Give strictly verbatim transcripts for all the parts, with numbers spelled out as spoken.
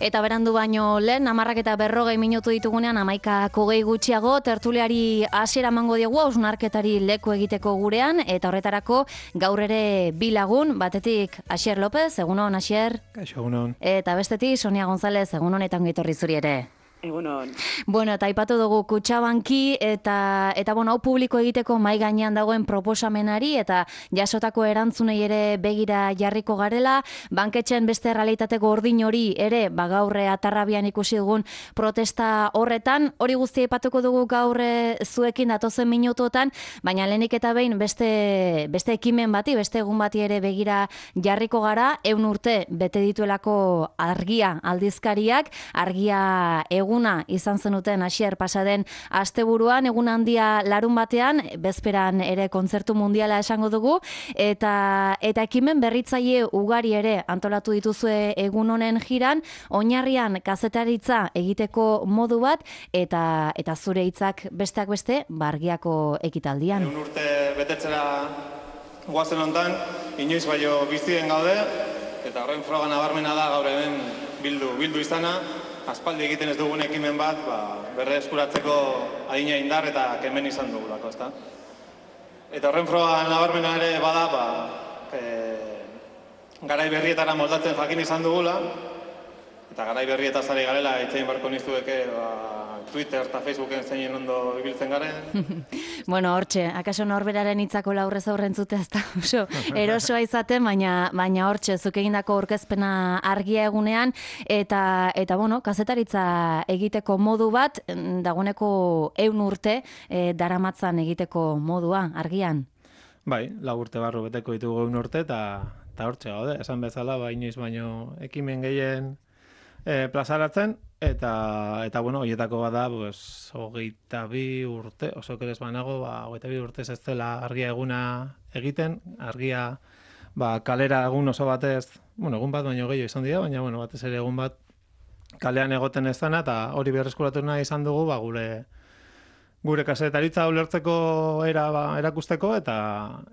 Eta berandu baino lehen, hamarrak eta berrogei minutu ditugunean, hamaikak hogei gutxiago, tertuliari hasiera emango diegu, hausnarketari leku egiteko gurean, eta horretarako gaur ere bi lagun, batetik Asier López, egunon, Asier. Kaixo, egunon. Eta bestetik Sonia González, egunon eta ongi etorri zuri ere. Egunon. Bueno, eta aipatu dugu Kutxabanki eta eta bueno, hau publiko egiteko mai gainean dagoen proposamenari eta jasotako erantzunei ere begira jarriko garela, banketxen beste errealitate gordin hori ere, ba gaur Atarrabian ikusi dugun protesta horretan, hori guztia aipatuko dugu gaur zuekin datozen minutuotan, baina lehenik eta behin beste beste ekimen bati, beste egun bati ere begira jarriko gara, ehun urte bete dituelako Argia aldizkariak, Argia egun eguna izan zenuten Asier pasaden asteburuan, egun handia larun batean, bezperan ere kontzertu mundiala esango dugu, eta eta ekimen berritzaile ugari ere antolatu dituzue egun honen jiran, oinarrian kazetaritza egiteko modu bat, eta eta zure hitzak besteak beste, Argiako ekitaldian. Ehun urte betetzera guazen hontan, inoiz baino bizien gaude, eta horren froga nabarmena da gaur hemen bildu, bildu izana, aspaldi egiten ez dugun ekimen bat, ba, berre eskuratzeko adina indar eta kemen izan dugulako, ezta? Eta horren froga nabarmena ere bada, ba, e, garai berrietara moldatzen jakin izan dugula, eta garai berrietaz ari garela, itzein barko niztueke, ba, Twitter eta Facebooken zeinen ondo ibiltzen garen. Bueno, hortxe, akaso norberaren hitzako laurrez aurren zute ez da oso erosoa izaten, baina baina hortxe, zuk egindako aurkezpena Argia egunean, eta, eta bueno, kazetaritza egiteko modu bat, dagoeneko ehun urte e, daramatzan egiteko modua, Argian. Bai, lau urte barru beteko ditugu ehun urte, eta hortxe gaude, esan bezala, ba, inoiz baino ekimen gehien e, plazaratzen, Eta, eta bueno, horietako bada, pues, hogeita bi urte, oso kerez banago, ba, hogeita bi urte ez dela Argia eguna egiten, Argia ba, kalera egun oso batez, bueno, egun bat baino gehiago izan dira, baina bueno, batez ere egun bat kalean egoten ez dena, eta hori berreskuratu nahi izan dugu, ba, gure gure kazetaritza ulertzeko era ba, erakusteko, eta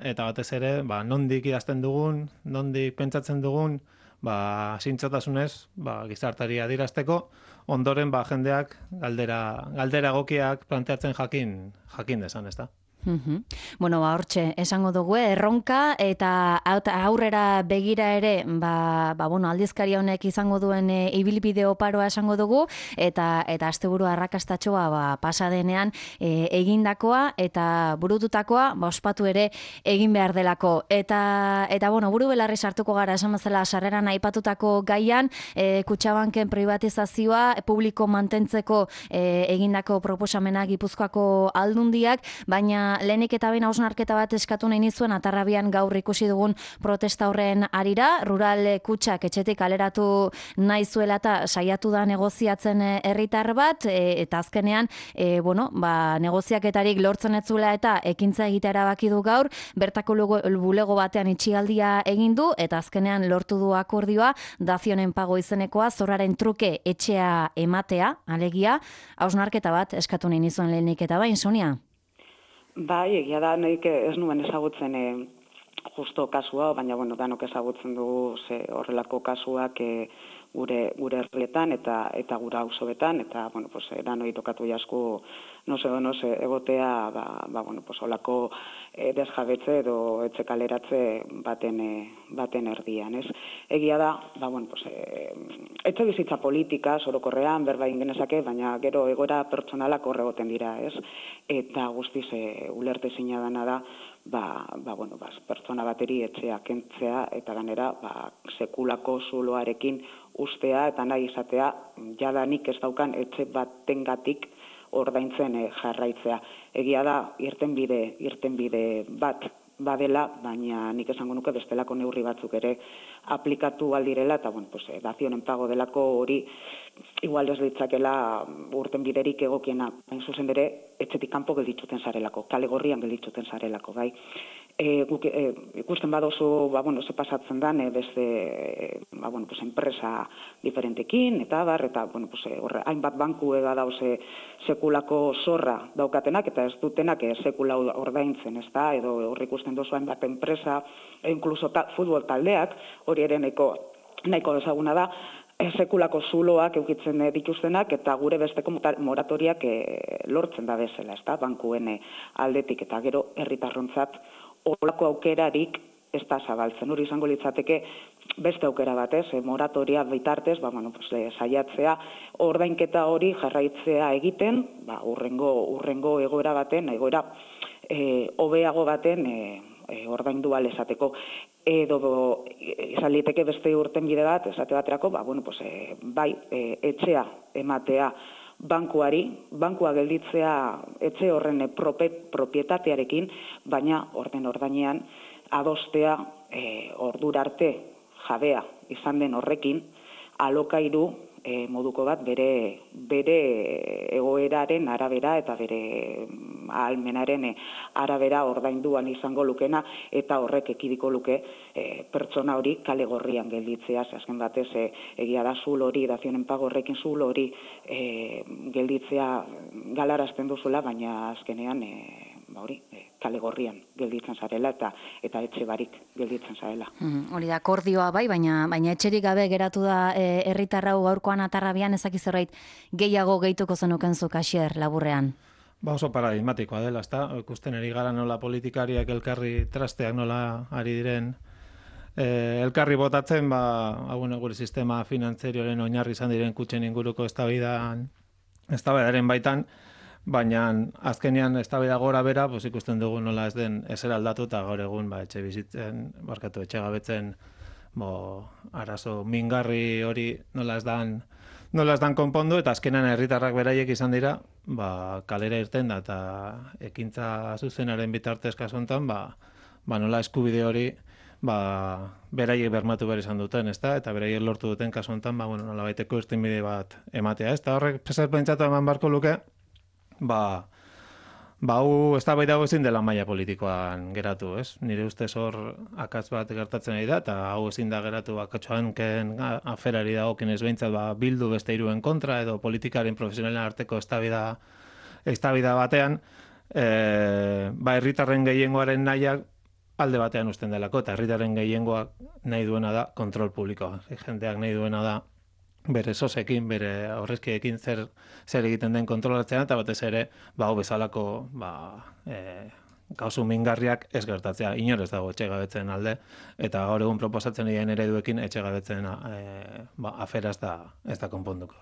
eta batez ere, ba, nondik idazten dugun, nondik pentsatzen dugun, ba, zintzotasunez, ba, gizartari adierazteko, ondoren ba, jendeak galdera, galdera egokiak planteatzen jakin, jakin desan, ez da? Uhum. Bueno, ba, hortxe, esango dugu, erronka eta aurrera begira ere, ba, ba, bueno, aldizkaria honek izango duen e, ibilbide oparoa esango dugu, eta eta asteburu arrakastatxoa ba, pasadenean e, egindakoa eta burututakoa ba, ospatu ere egin behar delako. Eta, eta bueno, buru belarri sartuko gara, esan bezala sarreran aipatutako gaian, e, Kutxabanken privatizazioa, publiko mantentzeko e, egindako proposamena Gipuzkoako aldundiak, baina lehenik eta behin hausnarketa bat eskatu nahi nizuen Atarrabian gaur ikusi dugun protesta horren arira, rural kutxak etxetik kaleratu nahi zuela eta saiatu da negoziatzen herritar bat, e, eta azkenean, e, bueno, ba, negoziaketarik lortzen ez zuela eta ekintza egitea erabaki du gaur, bertako bulego batean itxialdia egin du, eta azkenean lortu du akordioa, dazionen pago izenekoa, zorraren truke etxea ematea, alegia, hausnarketa bat eskatu nahi nizuen lehenik eta bain, Sonia? Bai, egia da, nahik ez nuen ezagutzen e, justo kasua, baina bueno, danok ezagutzen dugu ze horrelako kasuak e, gure gure herrietan eta eta gura auzoetan, eta bueno, pues danoi tokatu jasku no se no se egotea, ba, ba bueno, pues holako e, desjabetze edo etxe kaleratze baten e, baten erdian, ez? Egia da, ba bueno, pues e, etxe bizitza politika orokorrean berba egin genezake, baina gero egoera pertsonalak hor egoten dira, ez? Eta guztiz e, ulertezina dana da, ba, ba bueno, ba, pertsona bateri etxea kentzea eta ganera ba, sekulako zuloarekin ustea eta nahi izatea jadanik ez daukan etxe batengatik ordaintzen e, jarraitzea. Egia da, irtenbide, irtenbide bat badela, baina nik esango nuke bestelako neurri batzuk ere aplikatu aldirela, eta bueno, pues, dazionen pago delako hori igual ez ditzakela urtenbiderik egokiena, hain zuzen bere, etxetik kanpo gelditzuten zarelako, kale gorrian gelditzuten zarelako, bai. E, guk, e, ikusten badozu, ba, bueno, ze pasatzen dan, e, beste, e, ba, bueno, pues, enpresa diferentekin, eta bar, eta, bueno, pues, horre, hainbat banku ega dauze sekulako zorra daukatenak, eta ez dutenak e, sekula ordaintzen, ez da, edo horre ikusten dozu hainbat enpresa, e, inkluso ta, futbol taldeak, hori ere nahiko, nahiko ezaguna da, sekulako zuloak eukitzen dituztenak eta gure besteko moratoriak lortzen da bezala, ezta, bankuen aldetik eta gero herritarrontzat olako aukerarik ez da zabaltzen. Hori izango litzateke beste aukera batez, moratoria bitartez, ba, bueno, pues, saiatzea ordainketa hori jarraitzea egiten, ba, urrengo, urrengo egoera baten, egoera e, hobeago baten e, e, ordaindu ahal esateko. Edo izan liteke beste urten bide bat, esate baterako, ba, bueno, pues, e, bai, e, etxea ematea bankuari, bankua gelditzea etxe horren prope, propietatearekin, baina orden ordainean adostea e, ordura arte jabea izan den horrekin, alokairu e, moduko bat bere, bere egoeraren arabera eta bere ahalmenaren arabera ordainduan izango lukena eta horrek ekidiko luke e, pertsona hori kale gorrian gelditzea, azken batez e, egia da zul hori, dazionen pago horrekin zul hori e, gelditzea galarazten duzula, baina azkenean e, ba hori, e, kale gorrian gelditzen zarela eta eta etxe barik gelditzen zarela. Mm, hori da, akordioa bai, baina baina etxerik gabe geratu da herritar hau gaurkoan atarrabian, ezaki zerbait gehiago gehituko zenuken zuk Asier laburrean. Ba oso paradigmatikoa dela, ezta? Ikusten ari gara nola politikariak elkarri trasteak nola ari diren e, elkarri botatzen, ba, bueno, gure sistema finantzarioaren oinarri izan diren kutxen inguruko eztabaidan eztabaidaren baitan, baina azkenean eztabaida gora bera, pues ikusten dugu nola ez den ezer aldatu eta gaur egun ba etxe bizitzen, barkatu etxe gabetzen, bo arazo mingarri hori nola ez dan nola ez dan konpondu eta azkenean herritarrak beraiek izan dira, ba kalera irten da eta ekintza zuzenaren bitartez kasu hontan, ba ba nola eskubide hori ba beraiek bermatu behar izan duten, ezta? Eta beraiek lortu duten kasu hontan, ba bueno, nolabaiteko irtenbide bat ematea, ezta? Horrek pesat pentsatu eman barko luke, ba ba hau eztabaida hau ezin dela maila politikoan geratu, ez? Nire ustez hor akats bat gertatzen ari da eta hau ezin da geratu Akatxoanken aferari dagokionez behintzat ba bildu beste hiruen kontra edo politikaren profesionalen arteko eztabaida eztabaida batean, e, ba herritarren gehiengoaren nahiak alde batean uzten delako eta herritarren gehiengoak nahi duena da kontrol publikoa. Jendeak nahi duena da bere sosekin, bere aurrezkiekin zer zer egiten den kontrolatzea eta batez ere ba hau bezalako ba e, kausu mingarriak ez gertatzea. Inor ez dago etxegabetzen alde eta gaur egun proposatzen diren ereduekin etxegabetzen e, ba afera ez da ez da konponduko.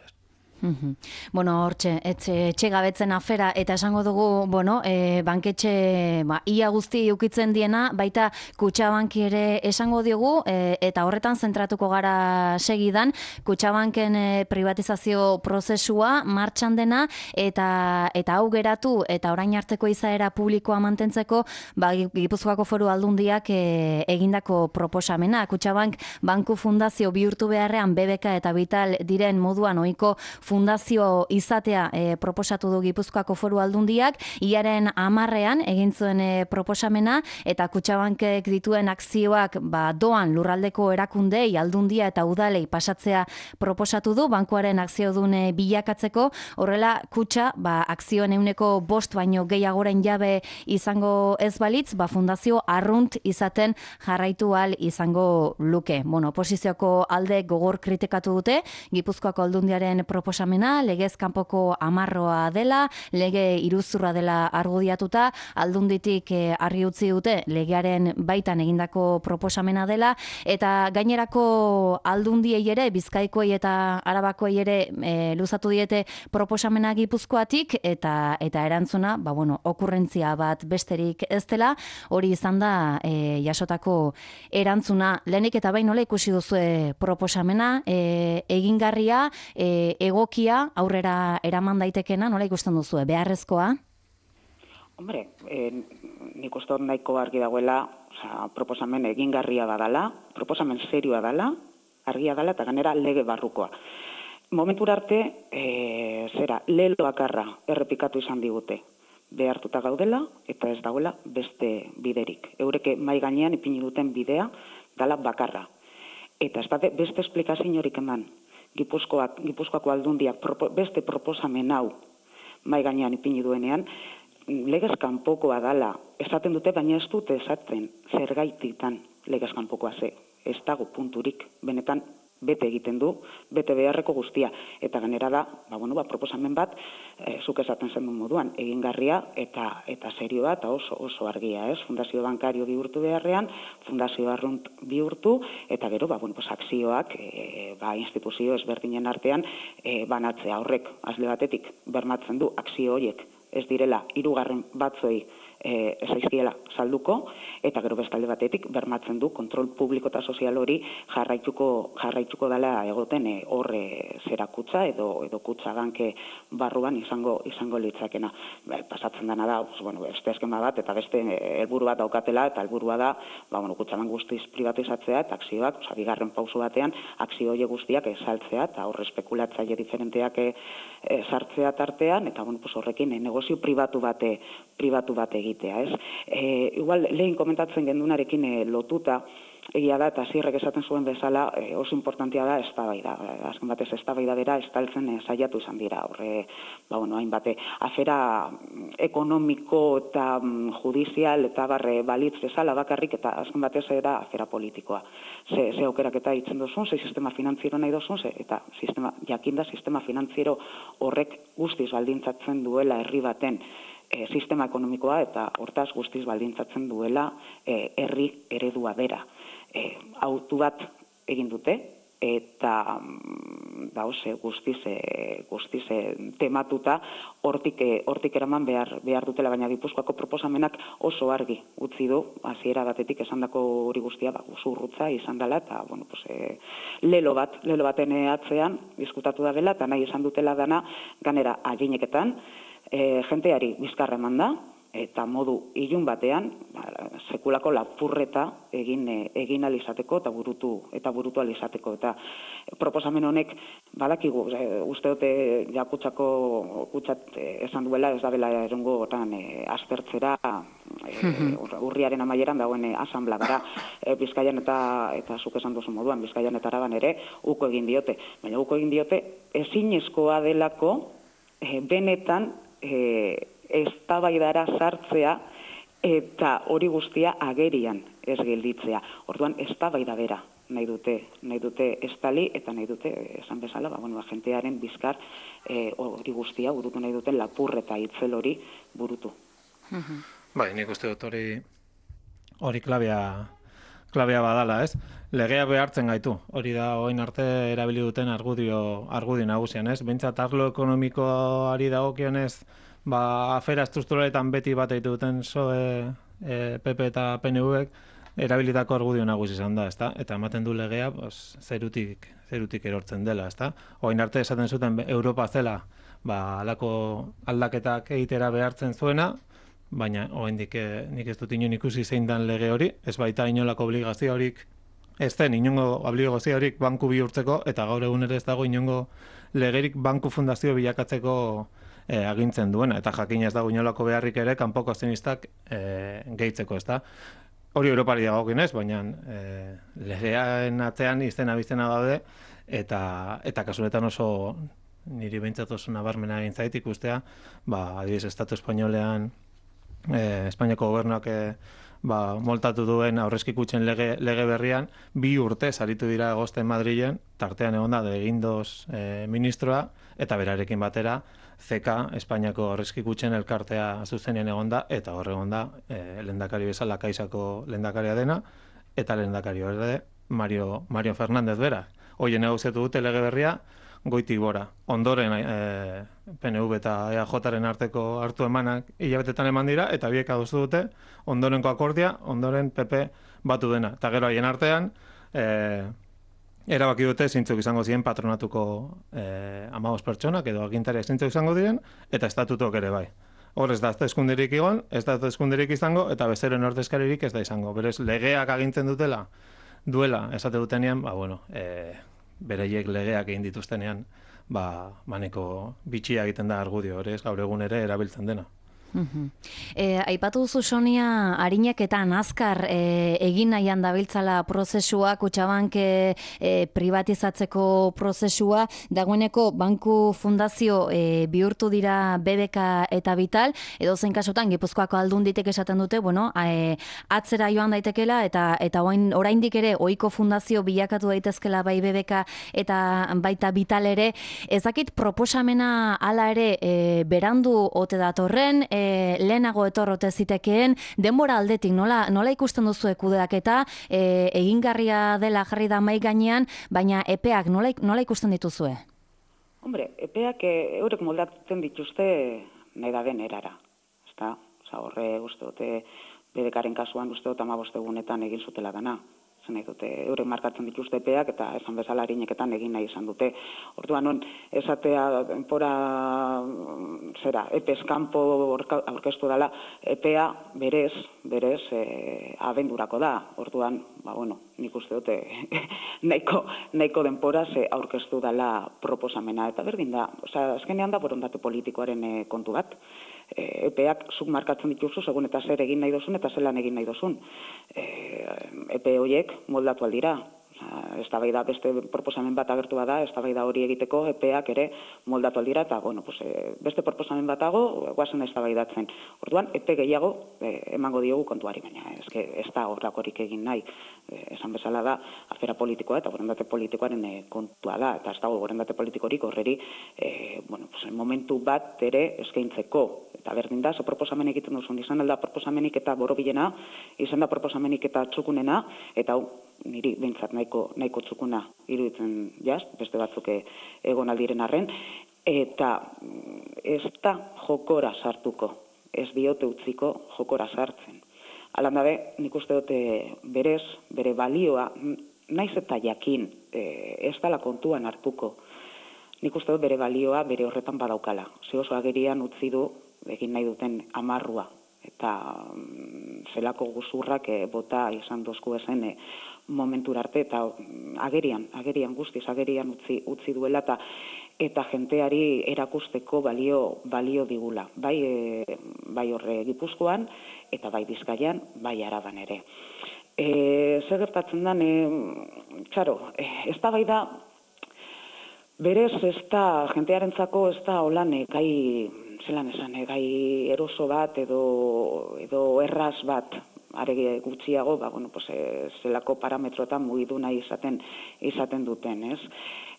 Mm-hmm. Bueno, hortxe, etxe gabetzen afera, eta esango dugu, bueno, e, banketxe, ba, ia guzti ukitzen diena, baita Kutxabanki ere esango diogu, e, eta horretan zentratuko gara segidan, Kutxabanken e, privatizazio prozesua martxan dena, eta eta hau geratu, eta orain arteko izaera publikoa mantentzeko, ba, Gipuzkoako Foru Aldundiak e, egindako proposamena. Kutxabank banku fundazio bihurtu beharrean B B K eta Vital diren moduan ohiko fundazio izatea e, proposatu du Gipuzkoako Foru Aldundiak, iaren hamarrean egin zuen e, proposamena eta Kutxabankek dituen akzioak ba, doan lurraldeko erakundei, aldundia eta udalei pasatzea proposatu du bankuaren akziodune bilakatzeko, horrela Kutxa ba, akzioen euneko bost baino gehiagoren jabe izango ez balitz, ba, fundazio arrunt izaten jarraitu ahal izango luke. Bueno, oposizioko alde gogor kritikatu dute, Gipuzkoako Aldundiaren proposamena legez kanpoko amarroa dela, lege iruzurra dela argudiatuta, Aldunditik e, argi utzi dute legearen baitan egindako proposamena dela, eta gainerako Aldundiei ere, Bizkaikoei eta Arabakoei ere e, luzatu diete proposamena Gipuzkoatik, eta eta erantzuna, ba bueno, okurrentzia bat besterik ez dela, hori izan da e, jasotako erantzuna. Lehenik eta bain nola ikusi duzue proposamena, e, egingarria, e, egokia, aurrera eraman daitekena, nola ikusten duzue, beharrezkoa? Hombre, eh, nik uste dut nahiko argi dagoela, oza, proposamen egingarria badala, proposamen serioa dala, argia dala eta ganera lege barrukoa. Momentura arte, e, zera, lelo bakarra errepikatu izan digute. Behartuta gaudela eta ez dagoela beste biderik. Eureke mai gainean ipini duten bidea dala bakarra. Eta ez da beste esplikaziorik eman. Gipuzkoak, Gipuzkoako Aldundiak propo, beste proposamen hau mai gainean ipini duenean, legez kanpokoa dala. Esaten dute, baina ez dute esaten zergaititan legez kanpokoa ze. Ez dago punturik, benetan bete egiten du, bete beharreko guztia. Eta gainera da, ba, bueno, ba, proposamen bat, e, zuk esaten zen duen moduan, egingarria eta eta serioa eta oso oso argia, ez? Fundazio bankario bihurtu beharrean, fundazio arrunt bihurtu, eta gero, ba, bueno, pues, akzioak e, ba, instituzio ezberdinen artean e, banatzea horrek, azle batetik, bermatzen du, akzio horiek ez direla hirugarren batzoi e, ezaizkiela salduko, eta gero bestalde batetik bermatzen du kontrol publiko eta sozial hori jarraituko jarraituko dela egoten e, horre zera kutsa edo edo kutsa banke barruan izango izango litzakena. Ba, pasatzen dena da, pues, bueno, beste eskema bat eta beste helburu bat daukatela, eta helburua da, ba, bueno, kutsabank guztiz privatizatzea eta akzioak, osea, bigarren pauso batean akzio horiek guztiak saltzea eta hor espekulatzaile diferenteak e, e, sartzea tartean, eta bueno, pues, horrekin e, negozio pribatu bate pribatu bat egitea, ez? E, igual lehen komentatzen gendunarekin e, lotuta, egia da, eta zirrek esaten zuen bezala, e, oso importantea da eztabaida. Azken batez eztabaida bera estaltzen e, saiatu izan dira. Horre, ba, bueno, hainbate, afera ekonomiko eta mm, judizial eta barre balitz bezala bakarrik, eta azken batez era afera politikoa. Ze, ze aukerak eta hitzen duzun, ze sistema finantziero nahi duzun, ze, eta sistema, jakinda sistema finantziero horrek guztiz baldintzatzen duela herri baten E, sistema ekonomikoa eta hortaz guztiz baldintzatzen duela e, herri eredua bera. E, autu bat egin dute eta da ose guztiz e, guztiz e, tematuta hortik e, hortik eraman behar behar dutela, baina Gipuzkoako proposamenak oso argi utzi du hasiera batetik esandako hori guztia ba usurrutza izan dela eta bueno pues e, lelo bat lelo baten atzean diskutatu da dela eta nahi esan dutela dana ganera agineketan E, jenteari bizkarra eman da, eta modu ilun batean, ba, sekulako lapurreta egin e, egin alizateko eta burutu eta burutu alizateko. Eta proposamen honek, badakigu, e, uste dute jakutsako kutsat e, esan duela, ez da bela erongo otan e, aztertzera e, urriaren amaieran dagoen e, asanbladara e, Bizkaian eta eta zuk esan duzu moduan, Bizkaian eta Araban ere uko egin diote. Baina uko egin diote ezinezkoa delako e, benetan E, eztabaidara sartzea eta hori guztia agerian ez gelditzea. Orduan eztabaida bera nahi dute, nahi dute estali eta nahi dute esan bezala, ba bueno, agentearen bizkar e, hori guztia burutu nahi duten lapurreta itzel hori burutu. Bai, nik uste dut hori hori klabea klabea badala, ez? Legea behartzen gaitu. Hori da orain arte erabili duten argudio argudio nagusian, ez? Behintzat arlo ekonomikoari dagokionez, ba afera estrukturaletan beti bat egiten duten P S O E, e, P P eta P N Vek erabilitako argudio nagusi izan da, ezta? Eta ematen du legea, pues, zerutik zerutik erortzen dela, ezta? Orain arte esaten zuten Europa zela, ba halako aldaketak egitera behartzen zuena, baina oraindik nik ez dut inon ikusi zein dan lege hori, ez baita inolako obligaziorik, ez den inongo obligaziorik banku bihurtzeko, eta gaur egun ere ez dago inongo legerik banku fundazio bilakatzeko e, agintzen duena, eta jakin ez dago inolako beharrik ere kanpoko azionistak e, gehitzeko, ez da. Hori Europari dagokionez, baina e, legearen atzean izena bizena daude, eta, eta kasunetan oso niri behintzat oso nabarmena egin zait ikustea, ba, adibidez, Estatu Espainolean Eh, Espainiako gobernuak eh, ba, moltatu duen aurrezki kutxen lege, lege berrian, bi urte saritu dira egosten Madrilen, tartean egon da de Guindos eh, ministroa, eta berarekin batera, C K, Espainiako aurrezki kutxen elkartea zuzenean egon da, eta hor egon da, eh, lehendakari bezala Kaixako lehendakaria dena, eta lehendakari hori Mario, Mario Fernández bera. Hoien negoziatu dute lege berria, goitik gora. Ondoren e, P N V eta E A Jaren arteko hartu emanak hilabetetan eman dira, eta biek adostu dute, ondorenko akordia, ondoren P P batu dena. Eta gero haien artean, e, erabaki dute zeintzuk izango ziren patronatuko e, hamabost pertsonak, edo agintariak zeintzuk izango diren, eta estatutok ere bai. Hor ez da eskunderik egon, ez da eskunderik izango, eta bezeren ordezkaririk ez da izango. Berez, legeak agintzen dutela, duela, esate dutenean, ba, bueno, e, bereiek legeak egin dituztenean, ba, maneko bitxia egiten da argudio, hori ez gaur egun ere erabiltzen dena. E, aipatu duzu Sonia, arineketan azkar e, egin nahian dabiltzala prozesua, Kutxabank e, e, privatizatzeko prozesua, dagoeneko banku fundazio e, bihurtu dira B B K eta Vital, edo zein kasutan Gipuzkoako aldunditek esaten dute, bueno, e, atzera joan daitekela eta eta orain oraindik ere ohiko fundazio bilakatu daitezkela bai B B K eta baita Vital ere, ezakit proposamena hala ere e, berandu ote datorren, e, lehenago etorrote zitekeen, denbora aldetik nola, nola ikusten duzu kudeaketa, e, egingarria dela jarri da mai gainean, baina epeak nola, nola ikusten dituzue? Hombre, epeak e, eurek moldatzen dituzte nahi da den erara. Ezta? Osa, horre uste dute B B Karen kasuan uste dut hamabost egunetan egin zutela dana. Nahi dute, eurek markatzen dituzte epeak eta esan bezala arineketan egin nahi izan dute. Orduan non, esatea denpora zera, epez kanpo aurkeztu dela, epea berez, berez, e, abendurako da. Orduan, ba, bueno, nik uste dute nahiko, nahiko denpora ze aurkeztu dela proposamena. Eta berdin da, osea, azkenean da borondate politikoaren e, kontu bat. E, epeak zuk markatzen dituzu, segun eta zer egin nahi dozun eta zelan egin nahi dozun. E, epe horiek moldatu aldira. Eztabaida beste proposamen bat agertu bada, eztabaida hori egiteko epeak ere moldatu aldira eta bueno, pues, beste proposamen batago guazen eztabaidatzen. Orduan epe gehiago eh, emango diogu kontuari, baina eske ez da horrakorik egin nahi. Eh, esan bezala da afera politikoa eta borondate politikoaren eh, kontua da eta ez dago borondate politikorik horreri eh, bueno, pues, momentu bat ere eskaintzeko. Eta berdin da, ze proposamen egiten duzun, izan alda proposamenik eta borobilena, izan da proposamenik eta txukunena, eta hau, niri behintzat nahiko, nahiko txukuna iruditzen jaz, beste batzuk egon aldiren arren, eta ez da jokora sartuko, ez diote utziko jokora sartzen. Alan dabe, nik uste dute berez, bere balioa, naiz eta jakin, ez dala kontuan hartuko, nik uste dut bere balioa bere horretan badaukala. Ze oso agerian utzi du, egin nahi duten amarrua, eta mm, zelako guzurrak e, bota izan dozku ezen e, momentura arte, eta mm, agerian, agerian guztiz, agerian utzi, utzi duela, eta eta jenteari erakusteko balio, balio digula. Bai, e, bai horre Gipuzkoan, eta bai Bizkaian, bai Araban ere. E, Zer gertatzen den, e, txaro, e, ez da bai da, berez ez da, jentearentzako ez da holan e, gai, zelan esan, e, gai eroso bat edo, edo erraz bat, aregi gutxiago, ba, bueno, pues, e, zelako parametroetan mugidu nahi izaten, izaten duten, ez?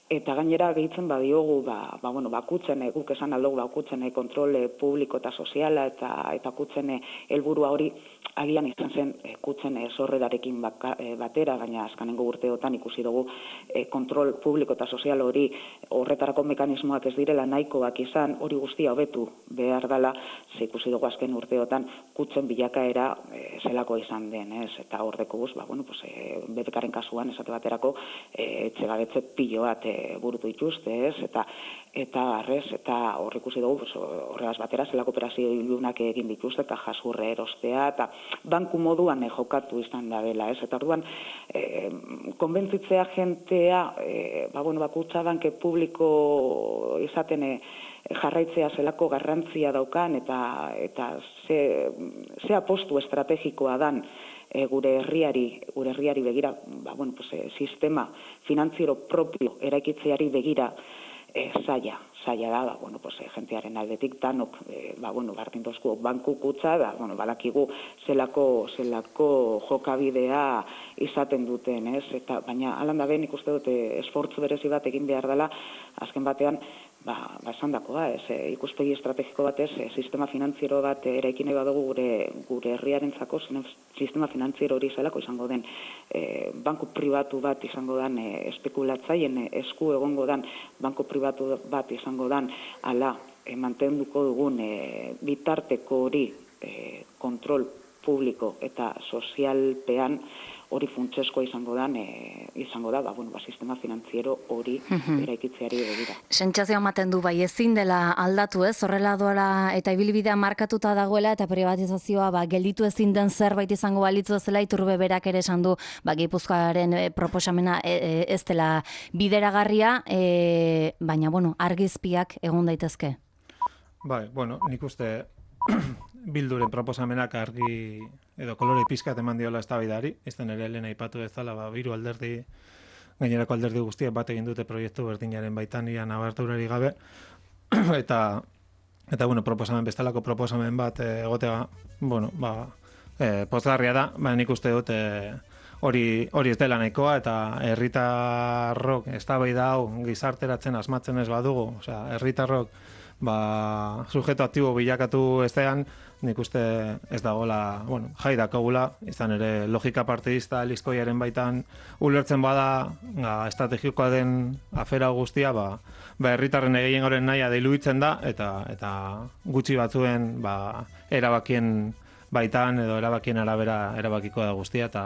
Eta gainera gehitzen badiogu, ba, ba, bueno, bakutzen, e, guk esan aldugu bakutzen e, kontrole publiko eta soziala eta, eta kutzen helburua hori agian izan zen e, kutzen e, zorrerarekin baka, e, batera, baina azkanengo urteotan ikusi dugu e, kontrol publiko eta sozial hori horretarako mekanismoak ez direla nahikoak izan, hori guztia hobetu behar dela, ze ikusi dugu azken urteotan kutzen bilakaera e, zelako izan den, ez? Eta horreko guz, ba, bueno, pues, e, B B Karen kasuan esate baterako e, etxegabetze pilo bat e, burutu dituzte, ez? Eta eta arrez, eta hor ikusi dugu, pues, horregaz batera zelako operazio ilunak egin dituzte, eta jasurre erostea, eta banku moduan e, jokatu izan da dela, ez? Eta orduan, e, konbentzitzea jentea, e, ba, bueno, bakutsa banke publiko izaten e, jarraitzea zelako garrantzia daukan, eta, eta ze, ze apostu estrategikoa dan, E, gure herriari, gure herriari begira, ba, bueno, pues, e, sistema finantziero propio eraikitzeari begira e, zaila, zaila da, ba, bueno, pues, e, jentearen aldetik danok, e, ba, bueno, bardin dozku banku kutsa, da, bueno, balakigu zelako, zelako jokabidea izaten duten, ez? Eta, baina, alan da ben ikuste dute esfortzu berezi bat egin behar dela, azken batean, ba, ba esan dakoa, ez, e, ikuspegi estrategiko batez, e, sistema finantziero bat eraikin nahi badugu gure, gure herriarentzako, sistema finantziero hori zelako izango den, e, banku pribatu bat izango den, e, espekulatzaien e, esku egongo den, banku pribatu bat izango den, ala, e, mantenduko dugun e, bitarteko hori e, kontrol publiko eta sozialpean, hori funtseskoa izango da, e, izango da, ba, bueno, ba, sistema finantziero hori eraikitzeari begira. Sentsazioa ematen du bai ezin dela aldatu, ez? Horrela doala eta ibilbidea markatuta dagoela eta privatizazioa ba, gelditu ezin den zerbait izango balitzu bezala Iturbe berak ere esan du, ba, Gipuzkoaren e, proposamena e, e, ez dela bideragarria, e, baina bueno, argizpiak egon daitezke. Bai, bueno, nik uste Bilduren proposamenak argi edo kolore pizkat eman diola eztabaidari, izan ere lehen aipatu bezala, ba, hiru alderdi, gainerako alderdi guztiek bat egin dute proiektu berdinaren baitan ia nabarturari gabe, eta, eta bueno, proposamen bestelako proposamen bat egotea, bueno, ba, e, pozgarria da, ba, nik uste dut e, hori hori ez dela nahikoa, eta herritarrok eztabaida hau gizarteratzen asmatzen ez badugu, osea, herritarrok ba, sujeto aktibo bilakatu estean, nik uste ez dagoela, bueno, jai dakagula, izan ere logika partidista Elizkoiaren baitan ulertzen bada, ba, estrategikoa den afera guztia, ba, ba herritarren gehiengoren nahia diluitzen da, eta eta gutxi batzuen ba, erabakien baitan edo erabakien arabera erabakiko da guztia, eta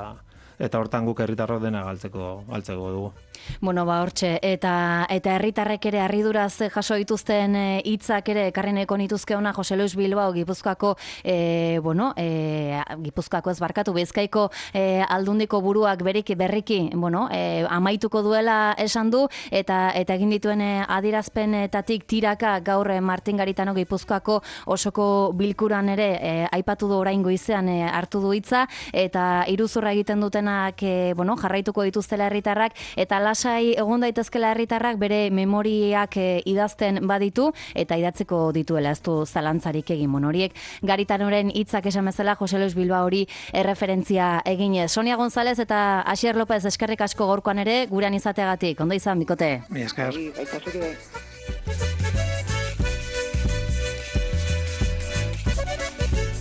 eta hortan guk herritarrok dena galtzeko galtzeko dugu. Bueno, ba hortxe, eta eta herritarrek ere harriduraz jaso dituzten hitzak ere ekarri nahiko nituzke ona Jose Luis Bilbao Gipuzkoako e, bueno, e, Gipuzkoako ez barkatu Bizkaiko e, aldundiko buruak beriki berriki, bueno, e, amaituko duela esan du, eta eta egin dituen adierazpenetatik tiraka gaur Martin Garitano Gipuzkoako osoko bilkuran ere e, aipatu du orain goizean e, hartu du hitza, eta iruzurra egiten dutenak e, bueno, jarraituko dituztela herritarrak, eta lasai egon daitezkela herritarrak bere memoriak e, idazten baditu eta idatziko dituela, ez du zalantzarik egin. Bon, horiek Garitanoren hitzak esan bezala Jose Luis Bilbao hori erreferentzia eginez. Sonia González eta Asier López eskerrik asko gaurkoan ere gurean izateagatik. Ondo izan, bikote. Mi esker. Bai, baita zuri bai.